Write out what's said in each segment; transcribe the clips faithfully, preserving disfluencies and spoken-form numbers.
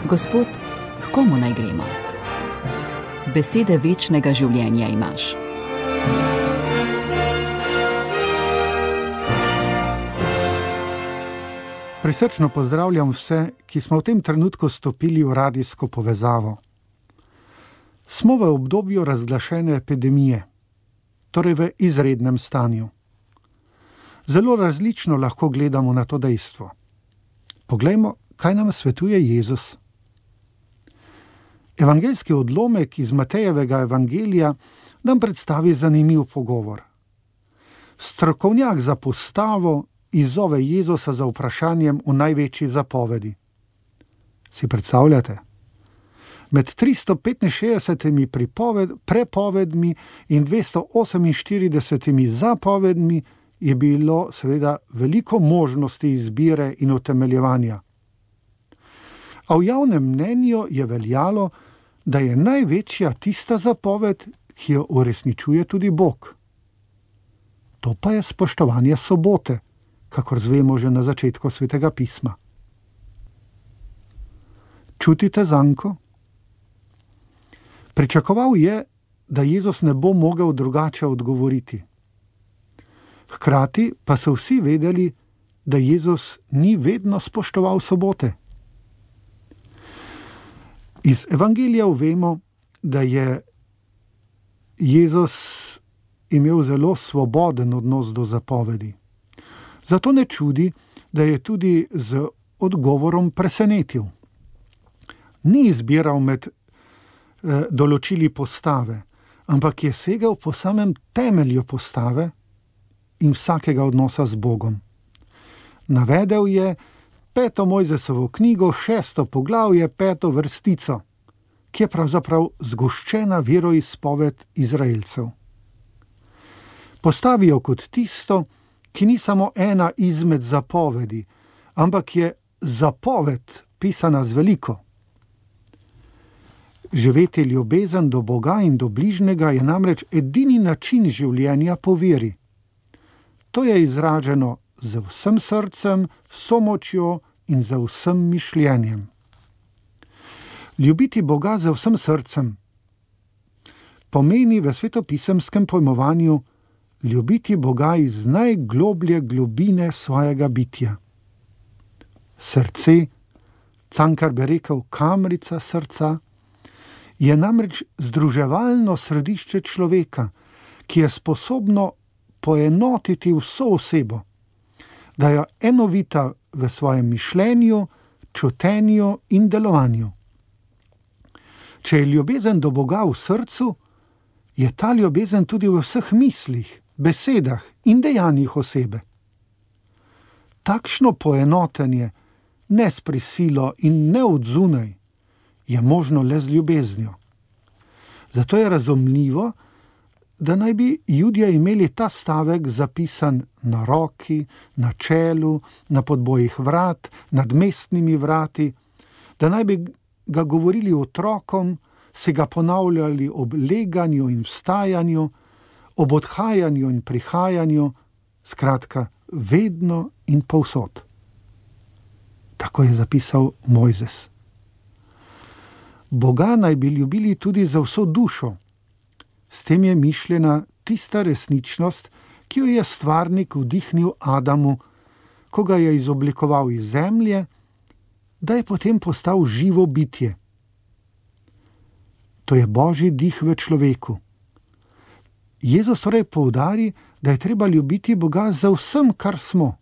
Gospod, h komu naj gremo? Besede večnega življenja imaš. Prisrčno pozdravljam vse, ki smo v tem trenutku stopili v radijsko povezavo. Smo v obdobju razglašene epidemije, torej v izrednem stanju. Zelo različno lahko gledamo na to dejstvo. Poglejmo, kaj nam svetuje Jezus. Evangeljski odlomek iz Matejevega evangelija nam predstavi zanimiv pogovor. Strokovnjak za postavo izzove Jezusa za vprašanjem v največji zapovedi. Si predstavljate? Med tristo petinšestdesetimi pripoved, prepovedmi in dvesto oseminštiridesetimi zapovedmi je bilo seveda veliko možnosti izbire in utemeljevanja. A v javnem mnenju je veljalo, da je največja tista zapoved, ki jo uresničuje tudi Bog. To pa je spoštovanje sobote, kakor zvemo že na začetku Svetega pisma. Čutite zanko? Pričakoval je, da Jezus ne bo mogel drugače odgovoriti. Hkrati pa so vsi vedeli, da Jezus ni vedno spoštoval sobote. Iz evangelijev vemo, da je Jezus imel zelo svoboden odnos do zapovedi. Zato ne čudi, da je tudi z odgovorom presenetil. Ni izbiral med eh, določili postave, ampak je segel po samem temelju postave in vsakega odnosa z Bogom. Navedel je peto Mojzesovo knjigo, šesto poglavje, peto vrstico, ki je pravzaprav zgoščena veroizpoved Izraelcev. Postavijo kot tisto, ki ni samo ena izmed zapovedi, ampak je zapoved pisana z veliko. Živeti ljubezen do Boga in do bližnjega je namreč edini način življenja po veri. To je izraženo z vsem srcem, vso močjo in z vsem mišljenjem. Ljubiti Boga z vsem srcem pomeni v svetopisemskem pojmovanju ljubiti Boga iz najgloblje globine svojega bitja. Srce, Cankar bi rekel kamrica srca, je namreč združevalno središče človeka, ki je sposobno poenotiti vso osebo, da je enovita v svojem mišljenju, čutenju in delovanju. Če je ljubezen do Boga v srcu, je ta ljubezen tudi v vseh mislih, besedah in dejanjih osebe. Takšno poenotenje, ne s prisilo in ne od zunaj, je možno le z ljubeznijo. Zato je razumljivo, da naj bi Judje imeli ta stavek zapisan na roki, na čelu, na podbojih vrat, nad mestnimi vrati, da naj bi ga govorili otrokom, se ga ponavljali ob leganju in vstajanju, ob odhajanju in prihajanju, skratka, vedno in povsod. Tako je zapisal Mojzes. Boga naj bi ljubili tudi za vso dušo. S tem je mišljena tista resničnost, ki jo je stvarnik vdihnil Adamu, ko ga je izoblikoval iz zemlje, da je potem postal živo bitje. To je Božji dih v človeku. Jezus torej poudari, da je treba ljubiti Boga za vsem, kar smo.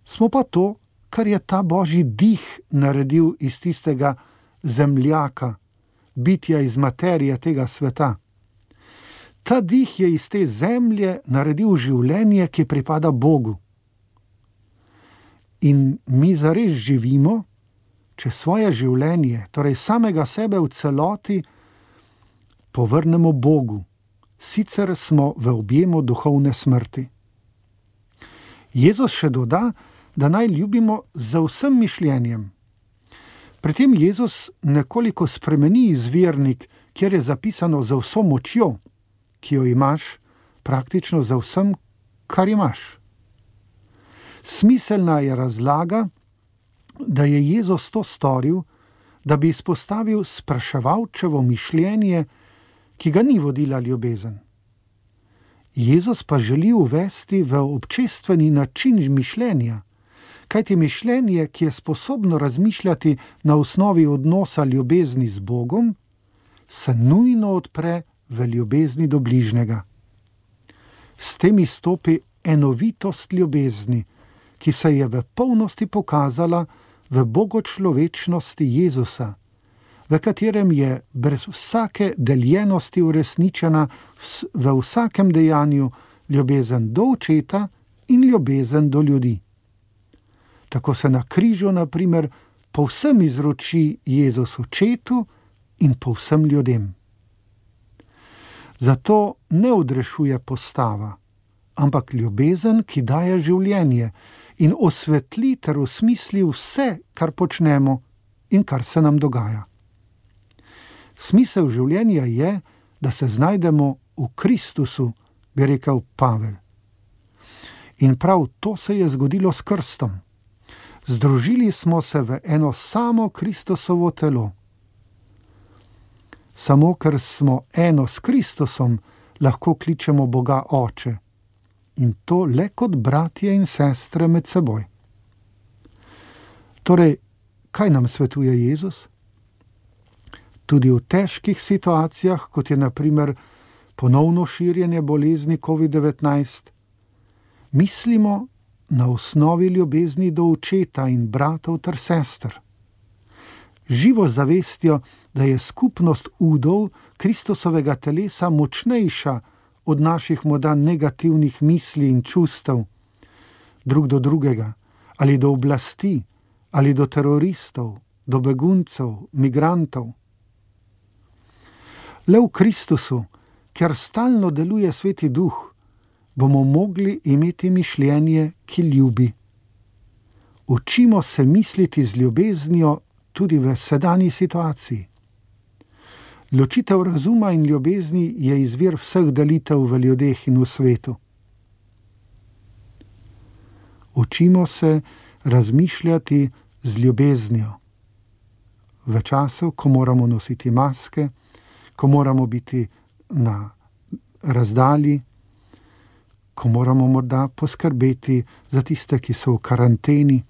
Smo pa to, kar je ta Božji dih naredil iz tistega zemljaka, bitja iz materije tega sveta. Ta dih je iz te zemlje naredil življenje, ki pripada Bogu. In mi zares živimo, če svoje življenje, torej samega sebe v celoti, povrnemo Bogu. Sicer smo v objemu duhovne smrti. Jezus še doda, da naj ljubimo z vsem mišljenjem. Pri tem Jezus nekoliko spremeni izvirnik, kjer je zapisano za vso močjo, ki jo imaš, praktično za vsem, kar imaš. Smiselna je razlaga, da je Jezus to storil, da bi izpostavil spraševalčevo mišljenje, ki ga ni vodila ljubezen. Jezus pa želi uvesti v občestveni način mišljenja, kajti mišljenje, ki je sposobno razmišljati na osnovi odnosa ljubezni z Bogom, se nujno odpre v ljubezni do bližnjega. S tem izstopi enovitost ljubezni, ki se je v polnosti pokazala v bogočlovečnosti Jezusa, v katerem je brez vsake deljenosti uresničena v vsakem dejanju ljubezen do Očeta in ljubezen do ljudi. Tako se na križu, na primer, povsem izroči Jezus Očetu in povsem ljudem. Zato ne odrešuje postava, ampak ljubezen, ki daje življenje in osvetli ter osmisli vse, kar počnemo in kar se nam dogaja. Smisel življenja je, da se znajdemo v Kristusu, bi rekel Pavel. In prav to se je zgodilo s krstom. Združili smo se v eno samo Kristusovo telo. Samo ker smo eno s Kristusom, lahko kličemo Boga Oče. In to le kot bratje in sestre med seboj. Torej, kaj nam svetuje Jezus? Tudi v težkih situacijah, kot je na primer ponovno širjenje bolezni covid devetnajst, mislimo na osnovi ljubezni do Očeta in bratov ter sester. Živo zavestjo, da je skupnost udov Kristusovega telesa močnejša od naših morda negativnih misli in čustev, drug do drugega, ali do oblasti, ali do teroristov, do beguncev, migrantov. Le v Kristusu, ker stalno deluje Sveti Duh, bomo mogli imeti mišljenje, ki ljubi. Učimo se misliti z ljubeznijo tudi v sedanji situaciji. Ločitev razuma in ljubezni je izvir vseh delitev v ljudeh in v svetu. Učimo se razmišljati z ljubeznijo. V času, ko moramo nositi maske, ko moramo biti na razdalji, ko moramo morda poskrbeti za tiste, ki so v karanteni,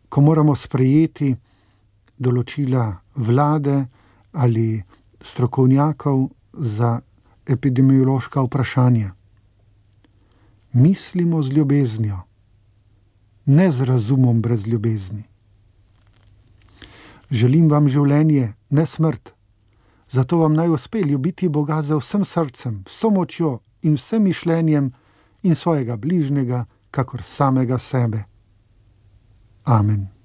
ko moramo sprejeti določila vlade ali strokovnjakov za epidemiološka vprašanja. Mislimo z ljubeznijo, ne z razumom brez ljubezni. Želim vam življenje, ne smrt. Zato vam naj uspe ljubiti Boga z vsem srcem, vso močjo in vsem mišljenjem in svojega bližnjega, kakor samega sebe. Amen.